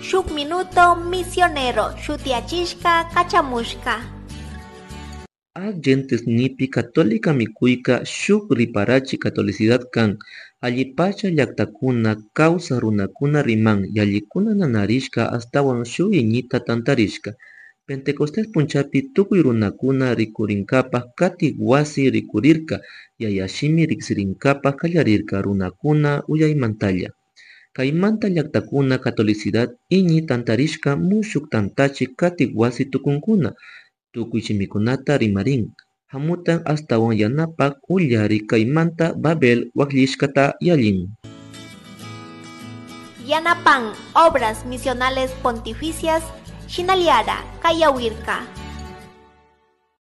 Shuk Minuto Misionero shutiyachishka kachamushka. Agentes nipi católica mikuyka shuk riparachi catolicidad kan, allipacha llaktakuna kawsak runakuna riman, yallikuna nanarishka ashtawan shuk iñita tantarishka. Pentecostés punchapi tukuy runakuna rikurinkapak katik wasi rikurirka, yayashimi riksirinkapak kallarirka runakuna uyaymantalla. Kaymanta llaktakuna catolicidad iñi tantarishka mushuk tantachi katik wasi tukunkuna, tukuy shimikunata rimarin, hamutan ashtawan yanapak ullari kaymanta Babel wakllishkata yallin. Yanapan Obras Misionales Pontificias Shinaliara Kayawirka.